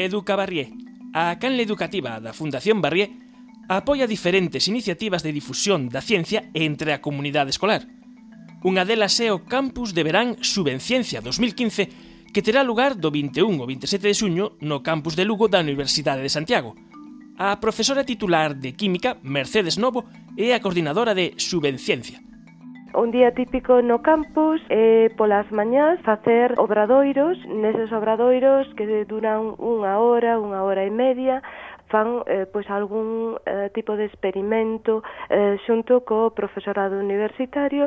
Educa Barrié. A canle educativa da Fundación Barrié apoia diferentes iniciativas de difusión da ciencia entre a comunidade escolar. Unha delas é o Campus de Verán Xubenciencia 2015, que terá lugar do 21 ao 27 de xuño no campus de Lugo da Universidade de Santiago. A profesora titular de Química, Mercedes Novo, é a coordinadora de Xubenciencia. Un día típico no campus é polas mañás facer obradoiros. Neses obradoiros que duran unha hora e media, fan pois algún tipo de experimento xunto co profesorado universitario.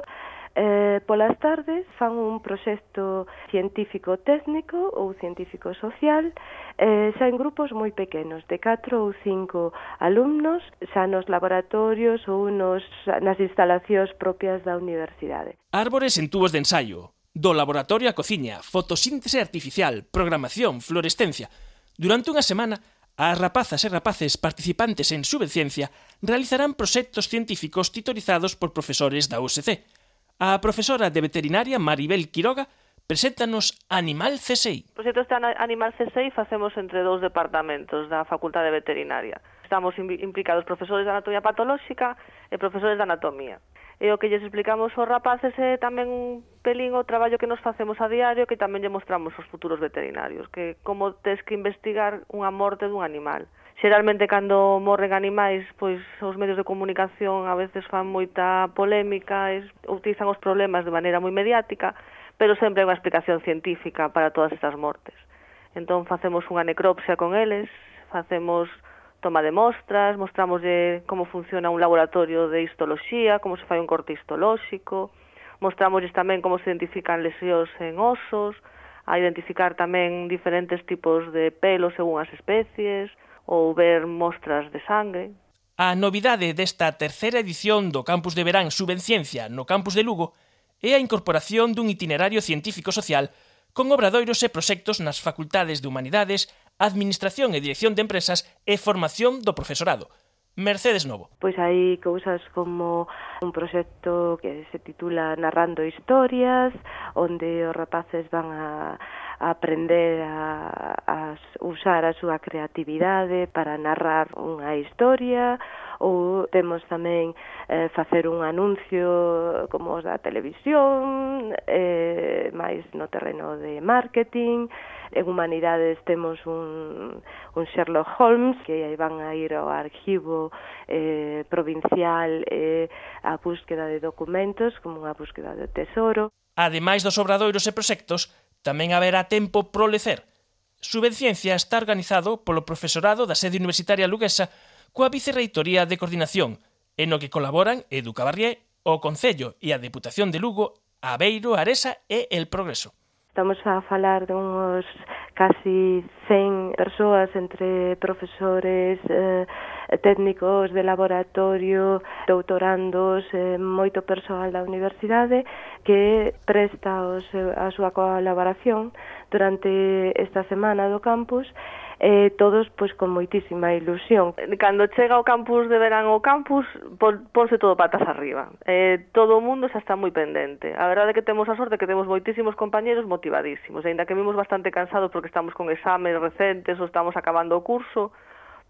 Polas tardes fan un proxecto científico técnico ou científico social, xa en grupos moi pequenos, de 4 ou 5 alumnos, xa nos laboratorios ou nas instalacións propias da universidade. Árbores en tubos de ensaio, do laboratorio a cociña, fotosíntese artificial, programación, fluorescencia. Durante unha semana, as rapazas e rapaces participantes en Xubenciencia realizarán proxectos científicos titorizados por profesores da USC. A profesora de veterinaria Maribel Quiroga preséntanos Animal CSI. O proxecto este Animal CSI facemos entre dous departamentos da Facultade de Veterinaria. Estamos implicados profesores de anatomía patolóxica e profesores de anatomía. E o que lles explicamos aos rapaces é tamén un pelín o traballo que nos facemos a diario, que tamén lle mostramos aos futuros veterinarios, que como tes que investigar unha morte dun animal. Xeralmente, cando morren animais, pois os medios de comunicación a veces fan moita polémica, utilizan os problemas de maneira moi mediática, pero sempre hai unha explicación científica para todas estas mortes. Entón, facemos unha necropsia con eles, facemos toma de mostras, mostramoslle como funciona un laboratorio de histoloxía, como se fai un corte histolóxico, mostramosles tamén como se identifican lesións en osos, a identificar tamén diferentes tipos de pelos según as especies, ou ver mostras de sangue. A novidade desta terceira edición do Campus de Verán Xubenciencia no campus de Lugo é a incorporación dun itinerario científico-social con obradoiros e proxectos nas facultades de Humanidades, Administración e Dirección de Empresas e Formación do Profesorado. Mercedes Novo. Pois hai cousas como un proxecto que se titula Narrando Historias, onde os rapaces van a aprender a usar a súa creatividade para narrar unha historia, ou temos tamén facer un anuncio como os da televisión, máis no terreno de marketing. En Humanidades temos un Sherlock Holmes, que aí van a ir ao arquivo provincial a búsqueda de documentos, como unha búsqueda de tesoro. Ademais dos obradoiros e proxectos, tamén haberá tempo pro lecer. Xubenciencia está organizado polo profesorado da sede universitaria luguesa coa Vicerreitoría de Coordinación, en o que colaboran Educa Barrié, o Concello e a Deputación de Lugo, Aveiro, Aresa e El Progreso. Estamos a falar de uns casi 100 persoas entre profesores, técnicos de laboratorio, doutorandos, moito persoal da universidade que presta a súa colaboración durante esta semana do campus, todos pois con moitísima ilusión. Cando chega ao campus de verán ao campus, ponse todo patas arriba. Todo o mundo xa está moi pendente. A verdade é que temos a sorte que temos moitísimos compañeros motivadísimos, aínda que vimos bastante cansados porque estamos con exames recentes ou estamos acabando o curso,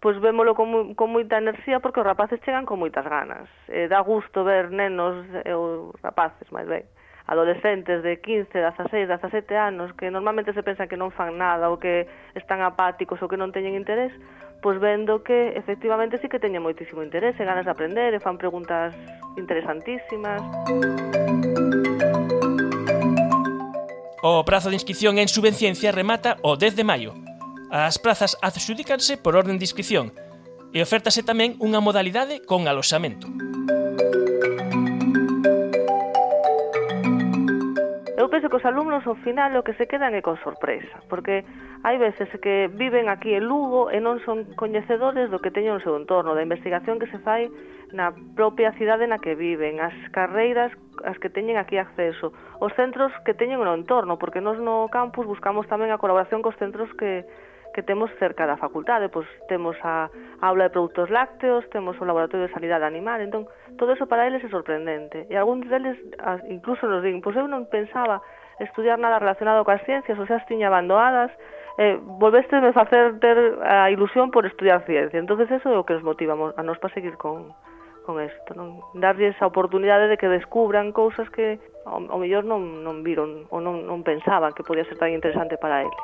pois vémolo con moita enerxía porque os rapaces chegan con moitas ganas. Dá gusto ver nenos ou rapaces, máis ben, adolescentes de 15, 16, 17 anos que normalmente se pensan que non fan nada ou que están apáticos ou que non teñen interés, pois vendo que efectivamente sí que teñen moitísimo interés e ganas de aprender e fan preguntas interesantísimas. O prazo de inscripción en Xubenciencia remata o 10 de maio. As prazas adxudícanse por orden de inscripción e ofértase tamén unha modalidade con aloxamento. Eu penso que os alumnos ao final o que se quedan é con sorpresa, porque hai veces que viven aquí en Lugo e non son coñecedores do que teñen no seu entorno, da investigación que se fai na propia cidade na que viven, as carreiras as que teñen aquí acceso, os centros que teñen no entorno, porque nós no campus buscamos tamén a colaboración cos centros que temos cerca da facultade, pois temos a aula de produtos lácteos, temos o laboratorio de sanidade animal, entón todo eso para eles é sorprendente. E algúns deles incluso nos din, pois eu non pensaba estudiar nada relacionado coas ciencias, ou xa as tiña abandonadas, volveste a facer ter a ilusión por estudiar ciencia. Entonces eso é o que nos motiva a nos para seguir con isto, non? Darlles a oportunidade de que descubran cousas que ao mellor non viron ou non pensaban que podía ser tan interesante para eles.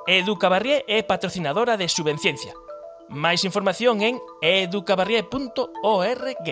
Educabarrié é patrocinadora de Subvenciencia. Máis información en educabarrié.org.